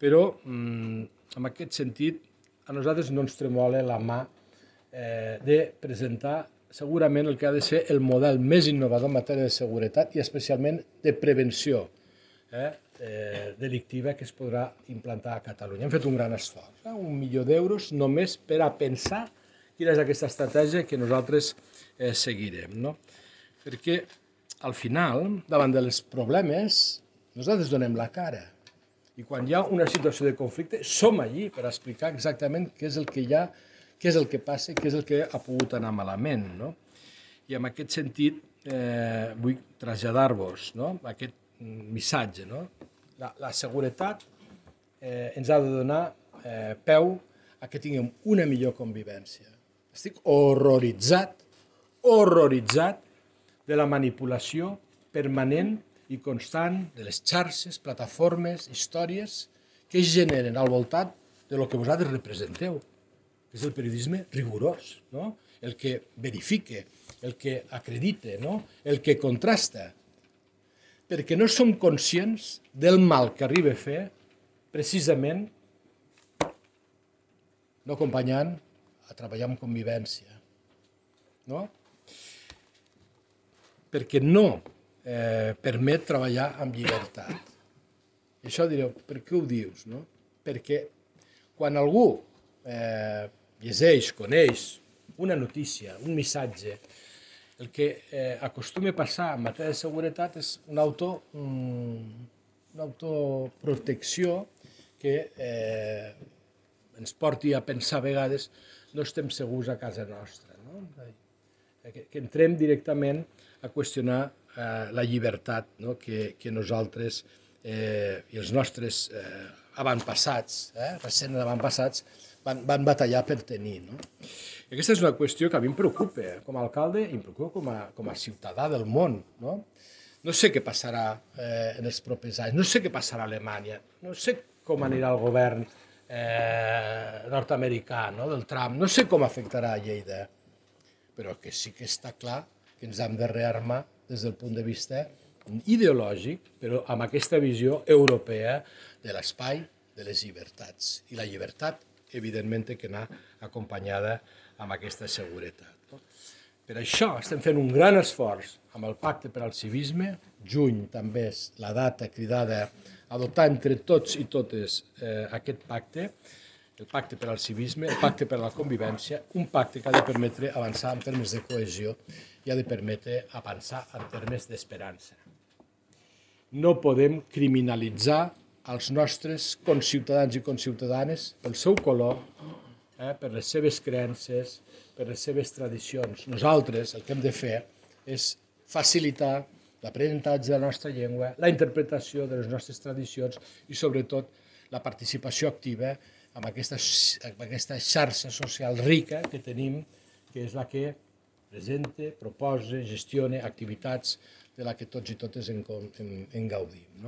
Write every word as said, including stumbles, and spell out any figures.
Però, en aquest sentit, a nosaltres no ens tremola la mà de presentar segurament el que ha de ser el model més innovador en matèria de seguretat i especialment de prevenció delictiva que es podrà implantar a Catalunya. Hem fet un gran esforç, un milió d'euros només per a pensar quina és aquesta estratègia que nosaltres seguirem. Perquè, al final, davant dels problemes, nosaltres donem la cara. I quan hi ha una situació de conflicte, som allí per explicar exactament què és el que hi ha, què és el que passa i què és el que ha pogut anar malament. I en aquest sentit vull traslladar-vos aquest missatge. La seguretat ens ha de donar peu a que tinguem una millor convivència. Estic horroritzat, horroritzat de la manipulació permanent i constant de les xarxes, plataformes, històries que es generen al voltant del que vosaltres representeu, que és el periodisme rigorós, el que verifica, el que acredita, el que contrasta, perquè no som conscients del mal que arriba a fer precisament no acompanyant a treballar en convivència. Perquè no permet treballar amb llibertat. I això direu, per què ho dius? Perquè quan algú llegeix, coneix una notícia, un missatge, el que acostuma a passar en matèria de seguretat és una autoprotecció que ens porti a pensar a vegades no estem segurs a casa nostra, que entrem directament a qüestionar la llibertat que nosaltres i els nostres avantpassats, recents avantpassats, van batallar per tenir. Aquesta és una qüestió que a mi em preocupa com a alcalde i em preocupa com a ciutadà del món. No sé què passarà en els propers anys, no sé què passarà a Alemanya, no sé com anirà el govern nord-americà del Trump, no sé com afectarà a Lleida, però que sí que està clar que ens hem de rearmar des del punt de vista ideològic, però amb aquesta visió europea de l'espai de les llibertats. I la llibertat, evidentment, té que anar acompanyada amb aquesta seguretat. Per això estem fent un gran esforç amb el Pacte per al Civisme. Juny també és la data cridada a adoptar entre tots i totes aquest pacte, el Pacte per al Civisme, el Pacte per a la Convivència, un pacte que ha de permetre avançar en termes de cohesió i ha de permetre avançar en termes d'esperança. No podem criminalitzar els nostres conciutadans i conciutadanes pel seu color, per les seves creences, per les seves tradicions. Nosaltres el que hem de fer és facilitar l'aprenentatge de la nostra llengua, la interpretació de les nostres tradicions i, sobretot, la participació activa en aquesta xarxa social rica que tenim, que és la que presenta, proposa, gestiona activitats de la que tots i totes en gaudim.